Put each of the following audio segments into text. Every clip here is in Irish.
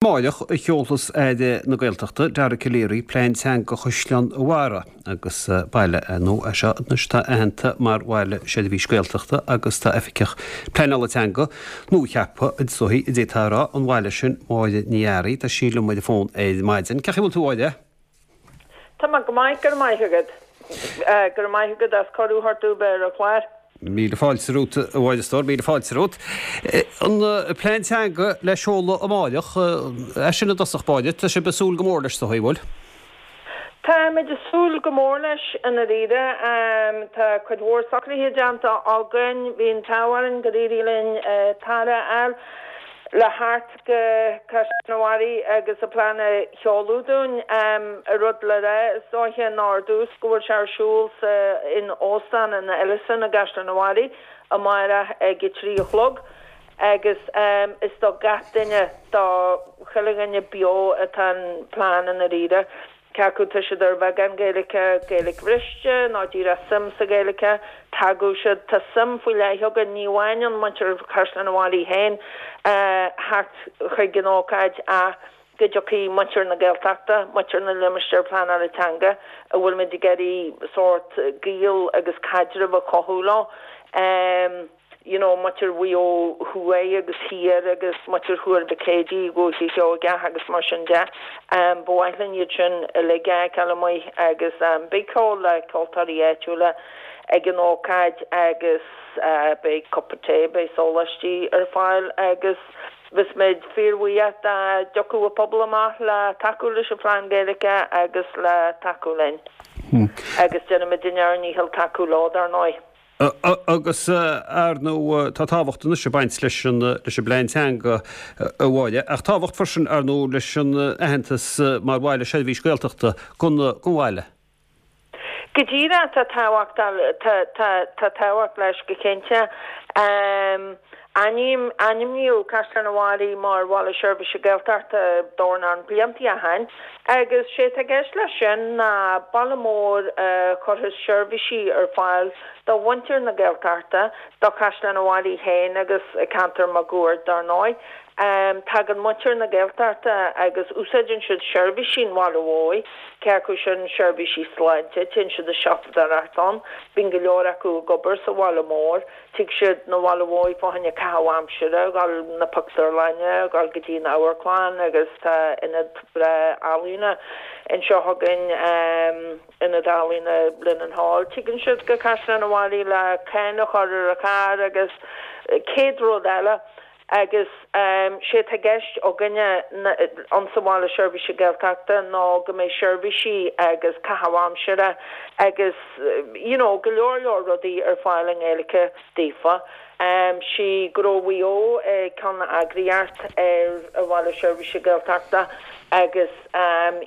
Amáireach a sheolfas Aire na Gaeltachta, Dara Calleary, Plean Teanga Chaisleán an Bharraigh agus baile ar ndóigh é seo anois atá aitheanta mar Bhaile Seirbhíse Gaeltachta agus tá Oifigeach Pleanála Teanga nuacheaptha is dóigh a d'fhéadfá a rá, an bhaile sin, Máire Ní Fhearraigh. Tá sí liom ar an bhfón ar maidin. Cén chaoi a bhfuil tú, a Mháire? Tá mé go maith, go raibh maith agat. Go raibh maith agat as cuireadh a thabhairt domh bheith ar an chlár. Míle fáilte romhat, a Mháire, a stór, míle fáilte romhat. An plean teanga le seoladh amáireach, é sin i dtosach báire, tá sibh ag súil go mór leis, is dóigh, an bhfuil? Táimid ag súil go mór leis, i ndáiríre. Tá cuid mhór socruithe déanta againn. Bhí an t-ádh orainn gur éirigh linn tAire a fháil le theacht go Caisleán an Bharraigh agus an plean a sheoladh dúinn. Rud le rá is dóiche ná ar dtús go bhfuil sé ar siúl sa in Óstán an Ellison i gCaisleán an Bharraigh amárach ag a 3 a chlog agus is do gach duine, do chuile dhuine beo atá an plean i ndáiríre. Cé acu tá siad ar bheagán Gaeilge, Gaeilge bhriste nó díreach suim sa Ghaeilge, tagadh siad. Tá suim faoi leith againn, ní amháin ón muintir Chaisleán an Bharraigh féin theacht chuig an ócáid ach go dtiocfaidh muintir na Gaeltachta, muintir na limistéar pleanála teanga a bhfuilimid ag iarraidh sórt gaol agus caidreamh a chothú leo. you know, muintir Mhaigh Eo thuaidh agus thiar agus muintir Thuar Mhic Éadaigh, Dhúiche Sheoigeach agus mar sin de. Ba mhaith linn iad sin uilig a fheiceáil amuigh agus beidh ceol le ceoltóirí áitiúla ag an ócáid agus beidh cupa tae, beidh sóláistí ar fáil agus bheadh muid fíorbhuíoch dá dtiocfadh an pobal amach le tacú leis an phlean Gaeilge agus le tacú linn. Agus déanfaimid ár ndícheall tacú leo, dar ndóigh. Agus, ar ndóigh, tá tábhacht anois ag baint leis an leis an bplean teanga, a Mháire, ach tábhacht freisin, ar ndóigh, leis an aitheantas mar bhaile seirbhís Gaeltachta don don bhaile. Go díreach, tá tábhacht, tá, tá, tá tábhacht leis go cinnte. Ainm, Ainmníodh Caisleán an Bharraigh mar Bhaile Seirbhíse Gaeltachta dornán blianta ó shin agus sé atá i gceist leis sin ná baile mór a chuirfeas seirbhísí ar fáil do mhuintir na Gaeltachta, do Chaisleán an Bharraigh féin agus ceantar máguaird dar ndóigh. Tagann muintir na Gaeltachta agus úsáideann siad seirbhísí an bhaile mhóir, cé acu sin seirbhísí sláinte, téann siad ag siopadóireacht ann, bíonn go leor acu ag obair sa bhaile mór. Tig siad 'na bhaile mhóir fá choinne caitheamh aimsire, dhul na pictiúrlainne, dhul go dtí an amharclann agus tá ionad breá ealaíona anseo againn, Ionad Ealaíona Linen Hall. Tigeann siad go Caisleán an Bharraigh le cáin a chur ar an charr agus céad rud eile. Agus sé atá i gceist againne insa Bhaile Seirbhíse Gaeltachta ná go mbeidh seirbhísí agus caitheamh aimsire agus you know go leor leor rudaí ar fáil i nGaeilge daofa. Sí Gnó Mhaigh Eo ceann-eagraíocht ar an Bhaile Seirbhíse Gaeltachta agus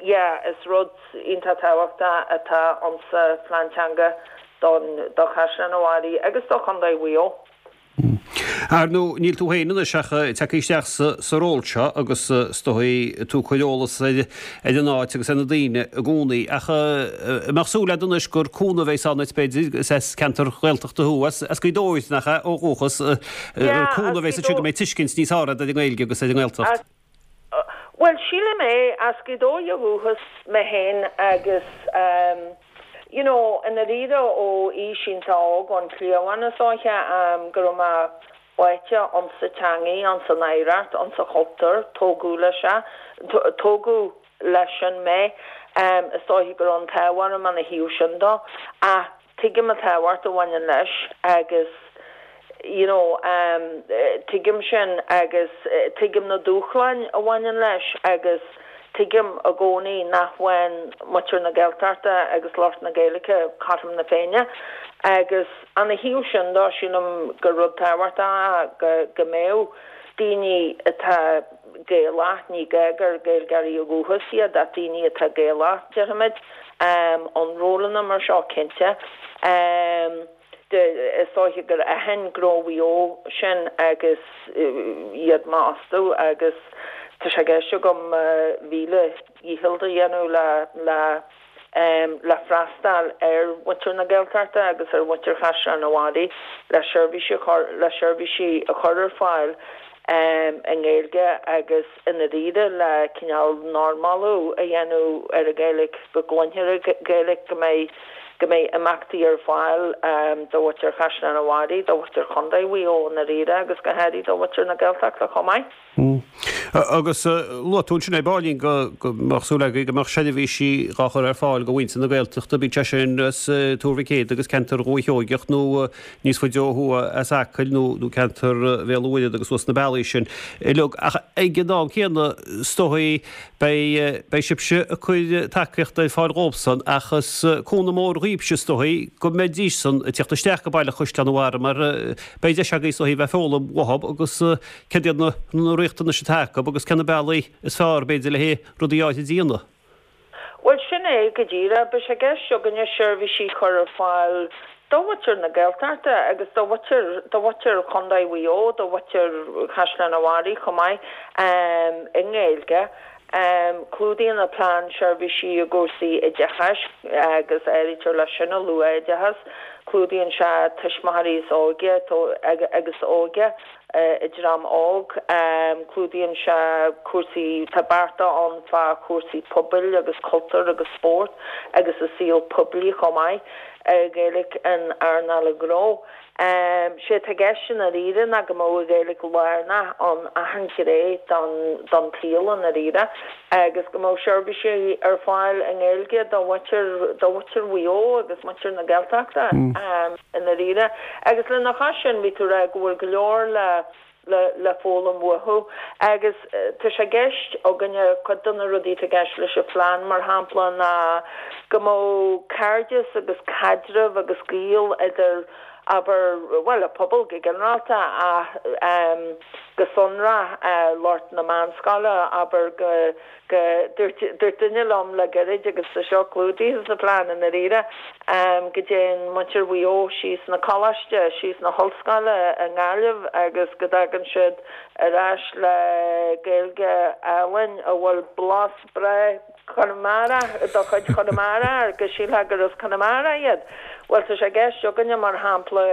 yeah is rud iontach tábhachtach atá insa phlean teanga don do Chaisleán an Bharraigh agus do Chontae Mhaigh Eo. Ar ndóigh, níl tú féin anois ach tagtha isteach sa ról seo agus is dóigh tú ag cur eolas ar an áit agus ar na daoine i gcónaí. Ach an mbeadh súil agat anois gur cúnamh a bheas ann duit, b'fhéidir, is as ceantar Ghaeltachta thú, as Gaoth Dobhair, nach ea, ó dhúchas, gur cúnamh a bheas ansin go mbeidh tuiscint níos fearr agat ar an nGaeilge agus ar an nGaeltacht? Bhuel, sílim é, as Gaoth Dobhair ó dhúchas mé féin agus you know, i ndáiríre ó aois iontach óg, ón chliabhán is dóiche, go raibh mé báite insa teangaidh, insan oidhreacht, insa chultúr, tógadh leis é, tógadh leis sin mé, is dóiche go raibh an t-ádh orm ina thaobh sin dó. Ach tuigim an tábhacht a bhaineann leis agus you know tuigim sin agus tuigim na dúshláin a bhaineann leis agus tuigim i gcónaí nach bhfaigheann muintir na Gaeltachta agus lucht na Gaeilge cothrom na Féinne agus ina thaobh sin dó sílim gur rud tábhachtach é go mbeadh daoine atá Gaelach, ní gá gur Gaeilgeoirí ó dhúchas iad ach daoine atá Gaelach, déarfaimid, in rólanna mar seo cinnte. Is dóiche gur aithin Gnó Mhaigh Eo sin agus iad m'fhostú agus tá sé i gceist agam mo mhíle dhícheall a dhéanamh le le le freastal ar mhuintir na Gaeltachta agus ar mhuintir Chaisleán an Bharraigh le seirbhísí a chur le seirbhísí a chur ar fáil. i nGaeilge agus i ndáiríre le cineál normalú a dhéanamh ar an Ghaeilge, go gcluinfear an Ghaeilge, go mbeidh go mbeidh imeachtaí ar fáil do mhuintir Chaisleán an Bharraigh, do mhuintir Chontae Mhaigh Eo i ndáiríre agus go háirithe do mhuintir na Gaeltachta chomh maith. Agus luaigh tú ansin ar baillín go mbeadh súil agaibh go mbeadh seirbhísí dhá chur ar fáil do mhuintir na Gaeltachta, bíodh sé sin as Tuar Mhic Éadaigh agus ceantar Dhúiche Sheoigeach nó níos faide ó thuaidh as Acaill nó ceantar Bhéal an Mhuirthead agus suas na bealaí sin uilig. Ach ag an am céanna, is dóigh, beidh, beidh sibhse ag cur tacaíochta ar fáil dhóibhsan ach is cúnamh mór dhaoibhse, is dóigh, go mbeidís-san ag tíocht isteach go baile Chaisleán an Bharraigh mar beidh deis agaibh, is dóigh, bheith ag foghlaim uathub agus céard iad na riachtanais atá acu agus cé na bealaí is fearr, b'fhéidir, le haghaidh rudaí áirithe a dhéanamh. Bhuel, sin é go díreach. Beidh sé i gceist againne seirbhísí a chur ar fáil do mhuintir na Gaeltachta agus do mhuintir, do mhuintir Chontae Mhaigh Eo, do mhuintir Chaisleán an Bharraigh chomh maith, i nGaeilge. Clúdaíonn an plean seirbhísí i gcúrsaí oideachais agus áirítear leis sin an luath-oideachas. Clúdaíonn sé tuismitheoirí is óige agus óige. an dream óg. Clúdaíonn sé cúrsaí, tá bearta ann fá chúrsaí pobail agus cultúir agus spórt agus an saol poiblí chomh maith, Gaeilge in earnáil an ghnó. Sé atá i gceist i ndáiríre ná go mbeadh an Ghaeilge lárnach in achan ghné don don tsaol i ndáiríre agus go mbeadh seirbhísí ar fáil i nGaeilge do mhuintir do mhuintir Mhaigh Eo agus muintir na Gaeltachta. i ndáiríre. Agus lena chois sin, bhí tú ag rá go bhfuil go leor le le foghlaim uathu. Agus tá sé i gceist againne, cuid de na rudaí atá i gceist leis an phlean, mar shampla, ná go mbeadh cairdeas agus caidreamh agus gaol idir, abair, bhuel, an pobal go ginearálta ach go sonrach lucht na meánscoile, abair, go. go, dúirt, dúirt duine liom le gairid, agus tá seo clúdaithe sa phlean i ndáiríre, go dtéann muintir Mhaigh Eo síos 'na coláiste, síos 'na hollscoile i nGaillimh agus go dtagann siad ar ais le Gaeilge álainn a bhfuil blas breá Chonamara, de chuid Chonamara air, go sílfeá gur as Conamara iad. Bhuel, tá sé i gceist againne, mar shampla,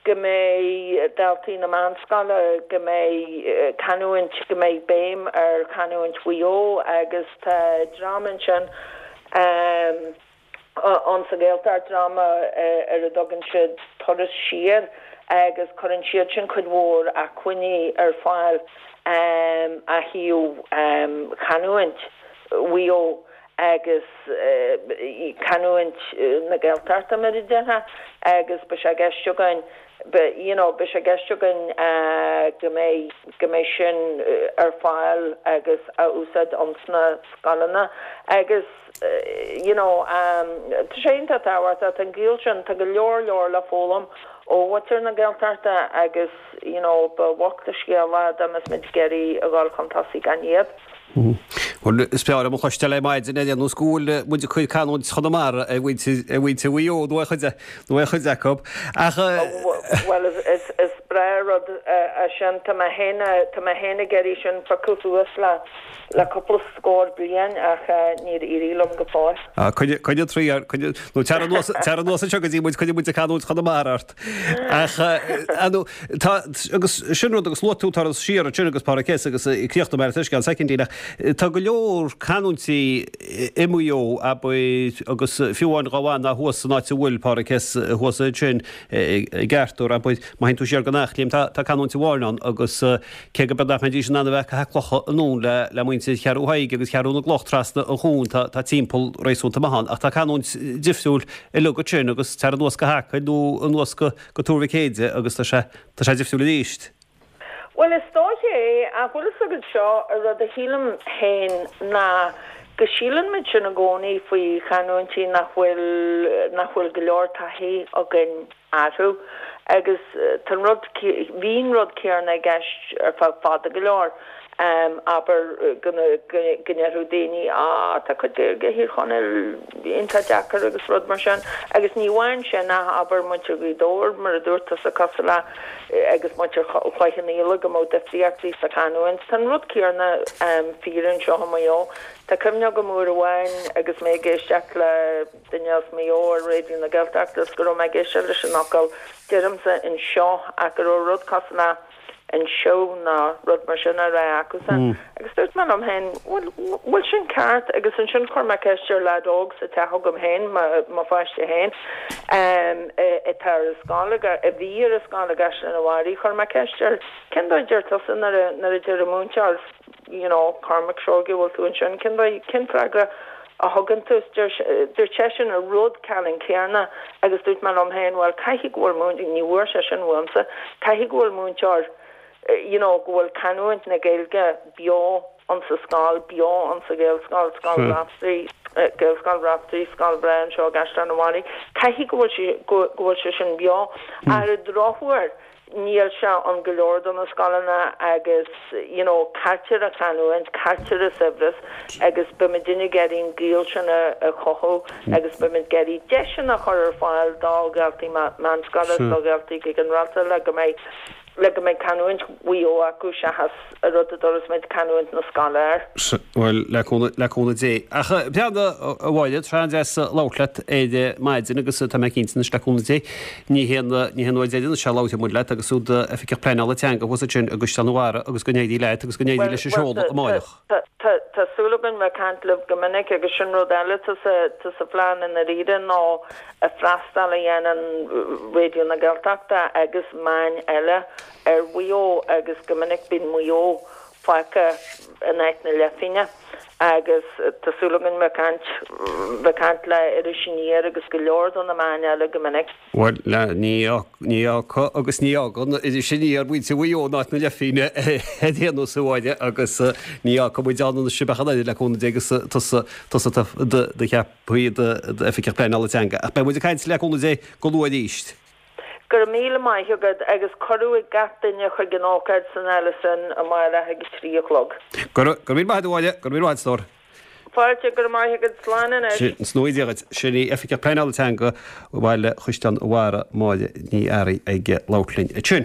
go mbeidh daltaí na meánscoile, go mbeidh canúint, go mbeidh béim ar chanúint Mhaigh Eo agus tá dream ansin ann sa Ghaeltacht, dream ar a dtugann siad Turas Siar agus cuireann siad sin cuid mhór acmhainní ar fáil ó thaobh chanúint Mhaigh Eo. agus canúint na Gaeltachta mar a déarfá agus beidh sé i gceist againn you know beidh sé i gceist againn go mbeidh go mbeidh sin ar fáil agus á úsáid ins na scoileanna agus you know tá sé iontach tábhachtach tá an gaol sin tá go leor leor le foghlaim ó mhuintir na Gaeltachta agus you know ba bhocht an scéal é dá mbeadh muid ag iarraidh a dhul chun tosaigh gan iad. Bhuel, is breá liom a chloisteáil ar maidin ar aon nós go bhfuil muid ag cur canúint Chonamara ar mhuintir, ar mhuintir Mhaigh Eo nó ar chuid, nó ar chuid acu. Ach. Bhuel, is, is breá an rud é sin. Tá mé féin, tá mé féin ag iarraidh sin a phiocadh suas le, le cúpla scór bliain ach níor éirigh liom go fóill. Ah, coinnigh, coinnigh troid air, coinnigh, nó tar anuas, tar anuas anseo go dtí muid, coinnigh muid ag canúint Chonamara ort. Ach, ar ndóigh, tá, agus sin rud, agus luaigh tú Turas Siar ansin agus Pádraig S. agus críochnóidh mé leis i gceann soicindín, ach tá go leor canúintí i Maigh Eo, abair, agus fiú amháin dhá bhfanfá thuas san áit a bhfuil Pádraig S. thuas ansin i gCeartúr, abair, má théann tú siar go Eachléim, tá, tá canúint amháin ann agus cé go b'fhéidir nach mbeidís in ann a bheith ag caitheamh clocha anonn le, le muintir Cheathrú Thaidhg agus Cheathrú na gCloch trasna an chuain, tá, tá timpeall réasúnta maith ann, ach tá canúint difriúil uilig ansin agus tar anuas go hAcaill nó anuas go go Tuar Mhic Éadaigh agus tá sé tá sé difriúil arís. Bhuel is dóiche é, ach bhfuil fhios agat seo, an rud a shílim féin ná go síleann muid sin i gcónaí faoi chanúintí nach bhfuil nach bhfuil go leor taithí againn orthu agus tá an rud bhí an rud céanna i gceist ar feadh fada go leor. Abair go ndéarfadh daoine, Á, tá cuid Gaeilge Thír Chonaill iontach deacair agus rud mar sin. Agus ní amháin sin ach abair muintir Ghaoth Dobhair, mar a dúirt tusa, cosúil le, agus muintir Chloich Cheann Fhaola, go mbeadh difríochtaí sa chanúint. Tá an rud céanna fíor anseo i Maigh Eo. Tá cuimhne agam uair amháin agus mé ag éisteacht le duine as Maigh Eo ar Raidió na Gaeltachta is go raibh mé ag éisteacht leis an fhocal, deirimse anseo, ach go raibh rud cosúil le. An seó ná rud mar sin á rá acusan. Agus dúirt mé liom féin, bhuel, bhfuil sin ceart? Agus ansin chuir mé ceist ar leaid óg sa teach agam féin, mo pháiste féin, atá ar an scoil, a bhí ar an scoil i gCaisleán an Bharraigh, chuir mé ceist air, cén dóigh a deir tusa nuair a, nuair a deir an múinteoir, you know, Cormac Seoighe, bhfuil tú ansin, cén dóigh, cén freagra a thugann tú? Dúirt seisean an rud ceannann céanna agus dúirt mé liom féin, bhuel, caithfidh go bhfuil múinteoir, ní bhfuair sé sin uaimse, caithfidh go bhfuil múinteoir, you know, go bhfuil canúint na Gaeilge beo insa scoil, beo insa Ghaelscoil, Scoil Raiftearaí, Gaelscoil Raiftearaí, scoil bhreá anseo i gCaisleán an Bharraigh, caithfidh go bhfuil sé, go bhfuil sé sin beo. Ar an drochuair, Níl sé ann go leor de na scoileanna agus you know cailltear an chanúint, cailltear an saibhreas agus beimidne ag iarraidh an gaol sin a chothú agus beimid ag iarraidh deiseanna a chur ar fáil do dhaltaí meánscoile is do dhaltaí go ginearálta le go mbeidh le go mbeidh canúint Mhaigh Eo acu seachas an rud a dtabharfas muid canúint na scoile air. Sea, bhuel, le cúnamh, le cúnamh Dé. Ach breathnaigh, a Mháire, tá sé an-deas labhairt leat ar maidin agus tá mé cinnte anois, le cúnamh Dé, ní hé an, ní hé an uair dheireanach a labhróidh muid leat agus tú i d'Oifigeach Pleanála Teanga thuas ansin i gCaisleán an Bharraigh agus go n-éirí leat agus go n-éirí leis an seoladh amáireach. Tá, tá, tá súil againn bheith ag caint libh go minic agus sin rud eile atá sa, tá sa phlean i ndáiríre ná freastal a dhéanann Raidió na Gaeltachta agus meáin eile ar Mhaigh Eo agus go minic bíonn Maigh Eo fágtha in áit na leithphingne agus tá súil againn bheith ag caint, bheith ag caint le Iris Aniar agus go leor de na meáin eile go minic. Bhuel, ní fhágfaidh agus ní fhágann Iris Aniar muintir Mhaigh Eo in áit na leithphingne ar aon nós a Mháire agus ní fhágfaidh muid ann anois sibh ach an oiread le cúnamh Dé agus tusa, tusa do cheaptha i d'Oifigeach Pleanála Teanga. Ach beidh muid ag caint le cúnamh Dé go luath arís. Go raibh míle maith agat agus cuireadh ag gach duine chuig an ócáid san Ellis Inn amárach ag 3 a chlog. Go raibh míle maith agat a Mháire, go raibh míle maith agat a stór. Fáilte, go raibh maith agat, slán anois. Sin í Dia dhuit. Sin í Oifigeach Pleanála Teanga Bhaile Chaisleán an Bharraigh, Máire Ní Fhearraigh ag labhairt linn ansin.